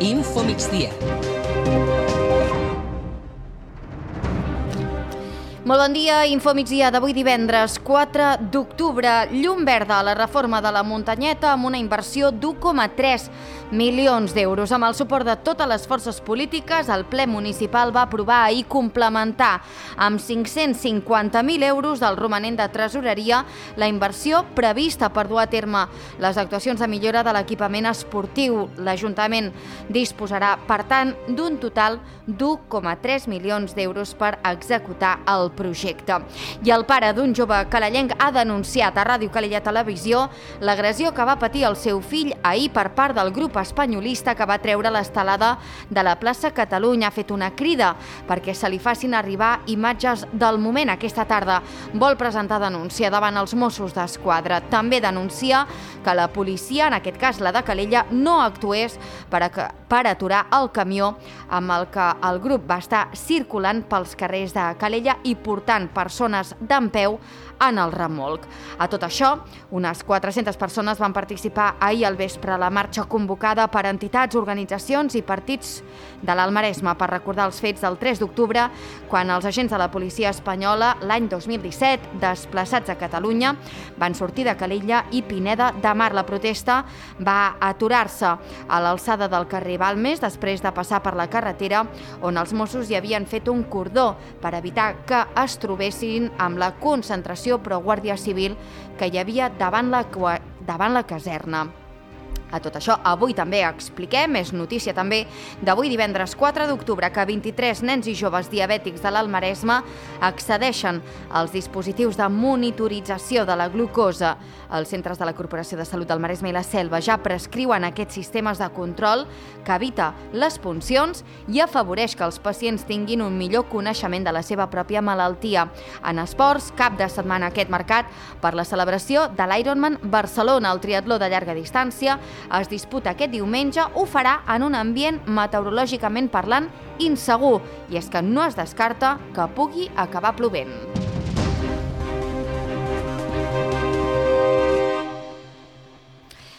Info Migdia. Molt bon dia, Info Migdia d'avui divendres 4 d'octubre. Llum verda a la reforma de la Muntanyeta amb una inversió d'1,3 milions d'euros. Amb el suport de totes les forces polítiques, el ple municipal va aprovar ahir complementar amb 550.000 euros del romanent de tresoreria la inversió prevista per dur a terme les actuacions de millora de l'equipament esportiu. L'Ajuntament disposarà, per tant, d'un total d'1,3 milions d'euros per executar el projecte. I el pare d'un jove calellenc ha denunciat a Ràdio Calella Televisió l'agressió que va patir el seu fill ahir per part del grup espanyolista que va treure l'estelada de la plaça Catalunya. Ha fet una crida perquè se li facin arribar imatges del moment. Aquesta tarda vol presentar denúncia davant els Mossos d'Esquadra. També denuncia que la policia, en aquest cas la de Calella, no actués per aturar el camió amb el que el grup va estar circulant pels carrers de Calella i portant persones dempeus en el remolc. A tot això, unes 400 persones van participar ahir al vespre a la marxa convocada per entitats, organitzacions i partits de l'Almaresme per recordar els fets del 3 d'octubre, quan els agents de la policia espanyola, l'any 2017, desplaçats a Catalunya, van sortir de Calella i Pineda de Mar. La protesta va aturar-se a l'alçada del carrer Balmes després de passar per la carretera on els Mossos hi havien fet un cordó per evitar que es trobessin amb la concentració pro-Guàrdia Civil que hi havia davant la caserna. A tot això, avui també expliquem, és notícia també d'avui divendres 4 d'octubre, que 23 nens i joves diabètics de l'Almaresme accedeixen als dispositius de monitorització de la glucosa. Els centres de la Corporació de Salut del Maresme i la Selva ja prescriuen aquests sistemes de control que evita les puncions i afavoreix que els pacients tinguin un millor coneixement de la seva pròpia malaltia. En esports, cap de setmana aquest marcat per la celebració de l'Ironman Barcelona. El triatló de llarga distància es disputa aquest diumenge, ho farà en un ambient meteorològicament parlant insegur, i és que no es descarta que pugui acabar plovent.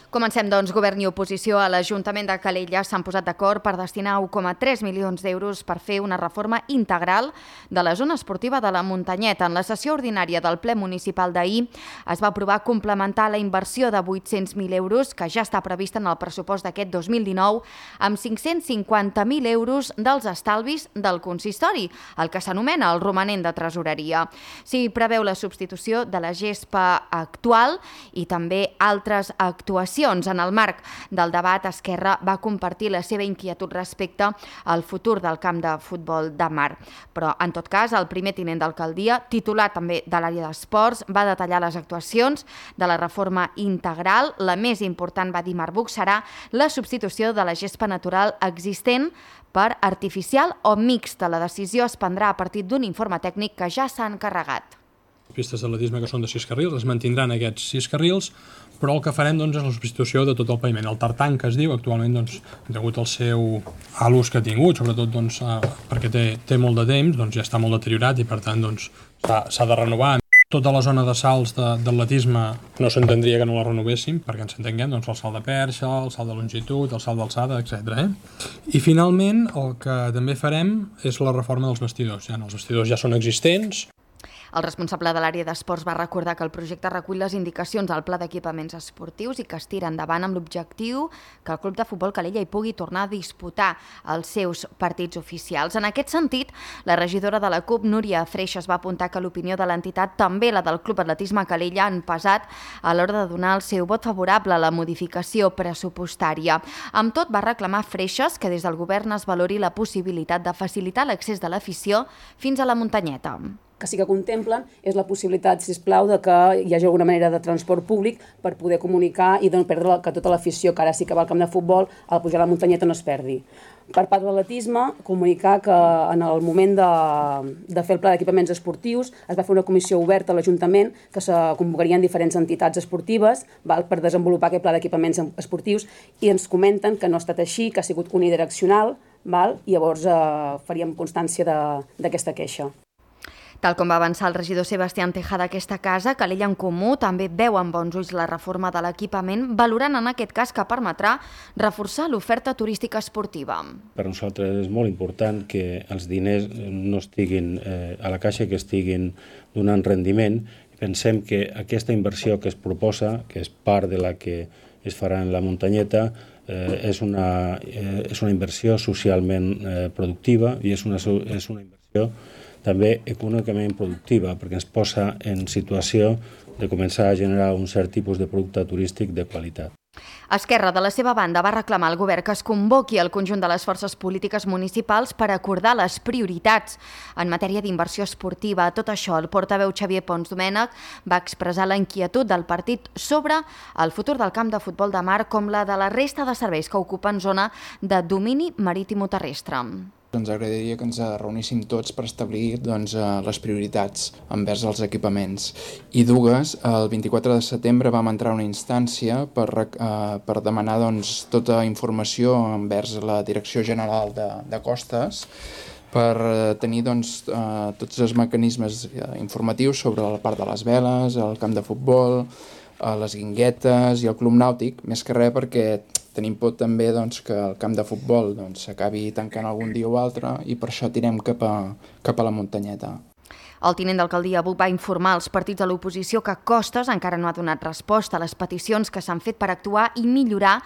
Comencem, doncs. Govern i oposició a l'Ajuntament de Calella s'han posat d'acord per destinar 1,3 milions d'euros per fer una reforma integral de la zona esportiva de la Muntanyeta. En la sessió ordinària del ple municipal d'ahir es va aprovar complementar la inversió de 800.000 euros que ja està prevista en el pressupost d'aquest 2019 amb 550.000 euros dels estalvis del consistori, el que s'anomena el romanent de tresoreria. S'hi preveu la substitució de la gespa actual i també altres actuacions. En el marc del debat, Esquerra va compartir la seva inquietud respecte al futur del camp de futbol de Mar. Però, en tot cas, el primer tinent d'alcaldia, titular també de l'àrea d'esports, va detallar les actuacions de la reforma integral. La més important, va dir Marbuc, serà la substitució de la gespa natural existent per artificial o mixta. La decisió es prendrà a partir d'un informe tècnic que ja s'ha encarregat. Pistes d'atletisme que són de 6 carrils, es mantindran aquests 6 carrils, però el que farem és la substitució de tot el paviment. El tartan, que es diu, actualment, degut al seu l'ús que ha tingut, sobretot perquè té molt de temps, ja està molt deteriorat i per tant s'ha de renovar. Tota la zona de salts d'atletisme no s'entendria que no la renovéssim, perquè ens entenguem, el salt de perxa, el salt de longitud, el salt d'alçada, etc. I finalment el que també farem és la reforma dels vestidors. Els vestidors ja són existents. El responsable de l'àrea d'esports va recordar que el projecte recull les indicacions al pla d'equipaments esportius i que es tira endavant amb l'objectiu que el Club de Futbol Calella hi pugui tornar a disputar els seus partits oficials. En aquest sentit, la regidora de la CUP, Núria Freixas, va apuntar que l'opinió de l'entitat, també la del Club Atletisme Calella, han pesat a l'hora de donar el seu vot favorable a la modificació pressupostària. Amb tot, va reclamar Freixas que des del govern es valori la possibilitat de facilitar l'accés de l'afició fins a la Muntanyeta. Que sí que contemplen és la possibilitat, sisplau, de que hi hagi alguna manera de transport públic per poder comunicar i no perdre que tota l'afició que ara sí que va al camp de futbol, al pujar a la Muntanyeta no es perdi. Per part de l'atletisme, comunicar que en el moment de fer el pla d'equipaments esportius es va fer una comissió oberta a l'Ajuntament que se convocarien diferents entitats esportives per desenvolupar aquest pla d'equipaments esportius i ens comenten que no ha estat així, que ha sigut unidireccional, i llavors faríem constància d'aquesta queixa. Tal com va avançar el regidor Sebastián Tejada d'aquesta casa, Calella en Comú també veu amb bons ulls la reforma de l'equipament, valorant en aquest cas que permetrà reforçar l'oferta turística esportiva. Per nosaltres és molt important que els diners no estiguin a la caixa, que estiguin donant rendiment. Pensem que aquesta inversió que es proposa, que és part de la que es farà en la muntanyeta, és una inversió socialment productiva i és una inversió també econòmicament productiva, perquè ens posa en situació de començar a generar un cert tipus de producte turístic de qualitat. Esquerra, de la seva banda, va reclamar al govern que es convoqui el conjunt de les forces polítiques municipals per acordar les prioritats en matèria d'inversió esportiva. Tot això, el portaveu Xavier Pons Domènech va expressar la inquietud del partit sobre el futur del camp de futbol de mar com la de la resta de serveis que ocupen zona de domini marítim-terrestre. Ens agradaria que ens reuníssim tots per establir les prioritats envers els equipaments. I dues, el 24 de setembre vam entrar a una instància per demanar tota informació envers la Direcció General de Costes per tenir tots els mecanismes informatius sobre la part de les veles, el camp de futbol, les guinguetes i el club nàutic, més que res perquè tenim por també que el camp de futbol s'acabi tancant algun dia o altre i per això tirem cap a la muntanyeta. El tinent d'alcaldia Buc va informar als partits de l'oposició que Costes encara no ha donat resposta a les peticions que s'han fet per actuar i millorar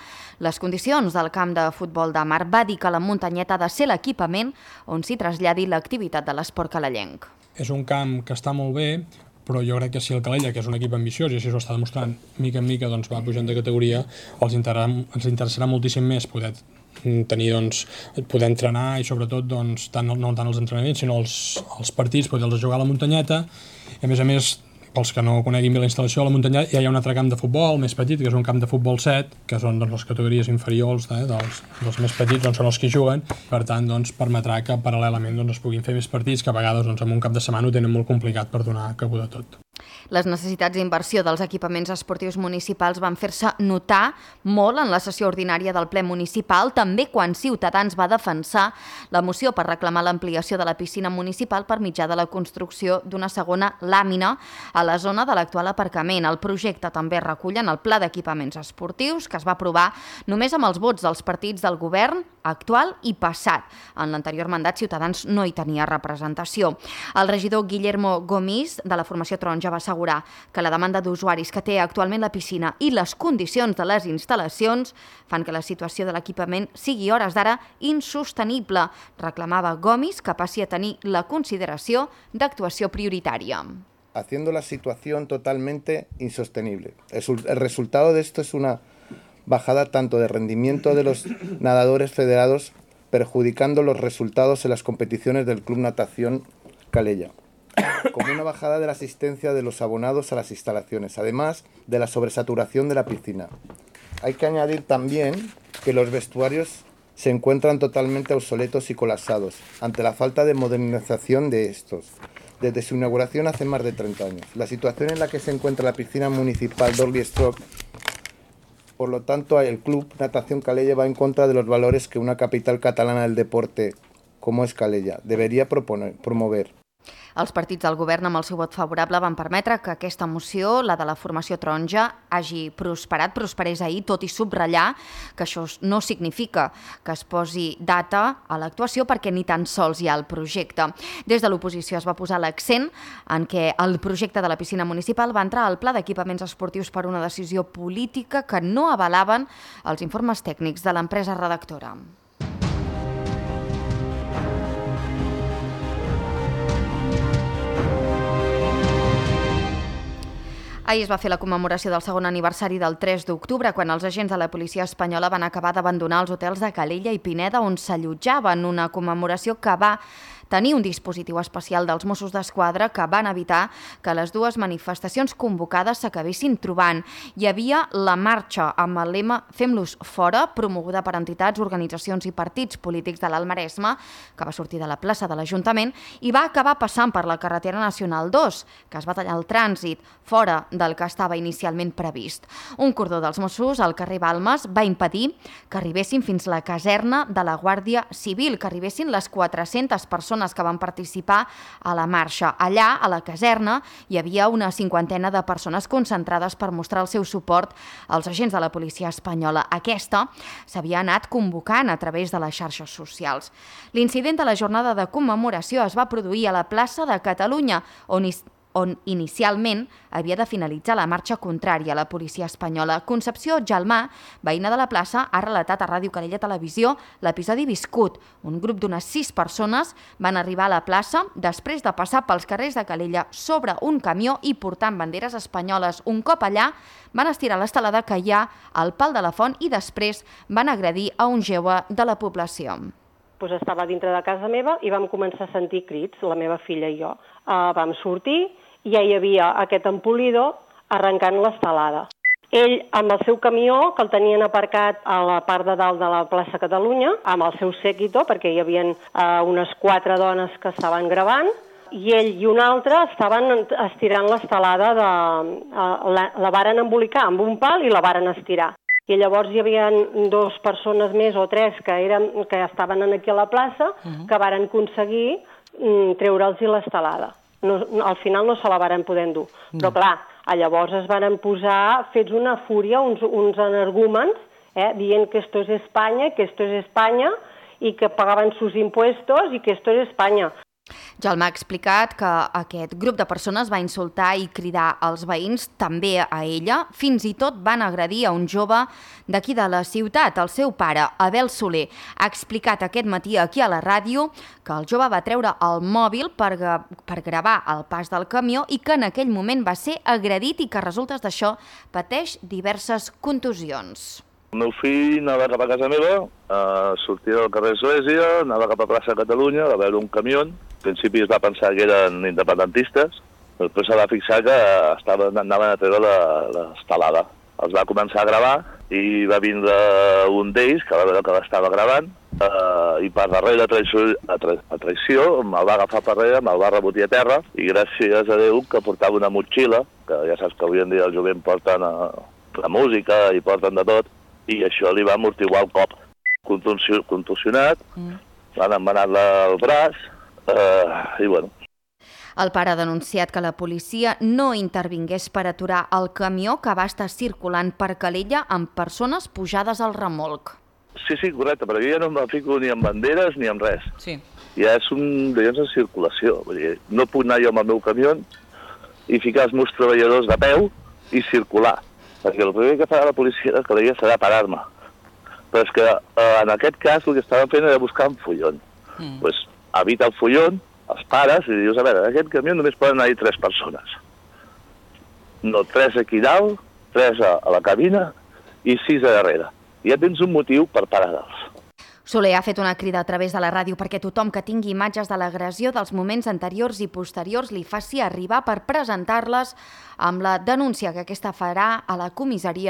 les condicions del camp de futbol de mar. Va dir que la muntanyeta ha de ser l'equipament on s'hi traslladi l'activitat de l'esport calellenc. És un camp que està molt bé, però jo crec que si el Calella, que és un equip ambiciós i així ho està demostrant, mica en mica va pujant de categoria, ens interessarà moltíssim més poder entrenar i sobretot no tant els entrenaments sinó els partits, poder-los jugar a la muntanyeta. I a més, pels que no coneguin bé la instal·lació, a la muntanyeta ja hi ha un altre camp de futbol més petit, que és un camp de futbol 7, que són les categories inferiors dels més petits, són els que hi juguen. Per tant, permetrà que paral·lelament es puguin fer més partits, que a vegades en un cap de setmana ho tenen molt complicat per donar cabuda a tot. Les necessitats d'inversió dels equipaments esportius municipals van fer-se notar molt en la sessió ordinària del ple municipal, també quan Ciutadans va defensar la moció per reclamar l'ampliació de la piscina municipal per mitjà de la construcció d'una segona làmina a la zona de l'actual aparcament. El projecte també recull en el Pla d'Equipaments Esportius, que es va aprovar només amb els vots dels partits del govern actual i passat. En l'anterior mandat, Ciutadans no hi tenia representació. El regidor Guillermo Gomis, de la formació Taronja, va assegurar que la demanda d'usuaris que té actualment la piscina i les condicions de les instal·lacions fan que la situació de l'equipament sigui a hores d'ara insostenible. Reclamava Gomis que passi a tenir la consideració d'actuació prioritària. Haciendo la situación totalmente insostenible. El resultado de esto es una bajada tanto de rendimiento de los nadadores federados, perjudicando los resultados en las competiciones del Club Natación Calella, como una bajada de la asistencia de los abonados a las instalaciones, además de la sobresaturación de la piscina. Hay que añadir también que los vestuarios se encuentran totalmente obsoletos y colapsados, ante la falta de modernización de estos, desde su inauguración hace más de 30 años. La situación en la que se encuentra la piscina municipal Dorley Stroke, por lo tanto, el Club Natación Calella va en contra de los valores que una capital catalana del deporte, como es Calella, debería promover. Els partits del govern amb el seu vot favorable van permetre que aquesta moció, la de la formació taronja, hagi prosperés ahir, tot i subratllar que això no significa que es posi data a l'actuació perquè ni tan sols hi ha el projecte. Des de l'oposició es va posar l'accent en què el projecte de la piscina municipal va entrar al Pla d'Equipaments Esportius per una decisió política que no avalaven els informes tècnics de l'empresa redactora. Ahir es va fer la commemoració del segon aniversari del 3 d'octubre, quan els agents de la policia espanyola van acabar d'abandonar els hotels de Calella i Pineda on s'allotjaven, una commemoració que va tenir un dispositiu especial dels Mossos d'Esquadra que van evitar que les dues manifestacions convocades s'acabessin trobant. Hi havia la marxa amb el lema Fem-los fora, promoguda per entitats, organitzacions i partits polítics de l'Alt Maresme, que va sortir de la plaça de l'Ajuntament i va acabar passant per la carretera nacional 2, que es va tallar el trànsit fora del que estava inicialment previst. Un cordó dels Mossos al carrer Balmes va impedir que arribessin fins la caserna de la Guàrdia Civil, que arribessin les 400 persones persones que van participar a la marxa. Allà, a la caserna, hi havia una 50ena de persones concentrades per mostrar el seu suport als agents de la policia espanyola. Aquesta s'havia anat convocant a través de les xarxes socials. L'incident de la jornada de commemoració es va produir a la plaça de Catalunya, on inicialment havia de finalitzar la marxa contrària a la policia espanyola. Concepció Jalmà, veïna de la plaça, ha relatat a Ràdio Calella Televisió l'episodi viscut. Un grup d'unes 6 persones van arribar a la plaça després de passar pels carrers de Calella sobre un camió i portant banderes espanyoles. Un cop allà, van estirar l'estelada que hi ha al pal de la font i després van agredir a un jove de la població. Estava dintre de casa meva i vam començar a sentir crits, la meva filla i jo. Vam sortir i ja hi havia aquest empolidor arrencant l'estelada. Ell, amb el seu camió, que el tenien aparcat a la part de dalt de la plaça Catalunya, amb el seu séquito, perquè hi havia unes 4 dones que estaven gravant, i ell i un altre estaven estirant l'estelada, la varen embolicar amb un pal i la varen estirar. I llavors hi havia 2 persones més o 3 que estaven aquí a la plaça que varen aconseguir treure'ls l'estelada. Al final no se la varen poder endur. Però clar, llavors es varen posar fets una fúria, uns energúmens, dient que esto es España, que esto es España, i que pagaven sus impuestos i que esto es España. Jalmà ha explicat que aquest grup de persones va insultar i cridar als veïns, també a ella, fins i tot van agredir a un jove d'aquí de la ciutat, el seu pare, Abel Soler. Ha explicat aquest matí aquí a la ràdio que el jove va treure el mòbil per gravar el pas del camió i que en aquell moment va ser agredit i que a resultes d'això pateix diverses contusions. El meu fill anava cap a casa meva, sortia del carrer Església, anava cap a plaça Catalunya, va veure un camió. Al principi es va pensar que eren independentistes, després se va fixar que anaven a treure l'estelada. Els va començar a gravar i va vindre un d'ells, que va veure que l'estava gravant, i per darrere a traïció me'l va agafar per darrere, me'l va rebotir a terra, i gràcies a Déu que portava una motxilla, que ja saps que avui en dia el jovent porten la música i porten de tot, i això li va amortiguar el cop. Contusionat, l'han embenat el braç, i bueno. El pare ha denunciat que la policia no intervingués per aturar el camió que va estar circulant per Calella amb persones pujades al remolc. Sí, correcte, però jo ja no em fico ni amb banderes ni amb res. Sí. Ja és un de circulació. Vull dir, no puc anar jo amb el meu camió i ficar els meus treballadors de peu i circular. Perquè el primer que farà la policia de Calella serà parar-me. Però és que en aquest cas el que estaven fent era buscar un follon. Doncs evita el follon, els pares, i dius, a veure, en aquest camió només poden anar-hi 3 persones. No, 3 aquí dalt, 3 a la cabina i 6 a darrere. Ja tens un motiu per parar-los. Soler ha fet una crida a través de la ràdio perquè tothom que tingui imatges de l'agressió dels moments anteriors i posteriors li faci arribar per presentar-les amb la denúncia que aquesta farà a la comissaria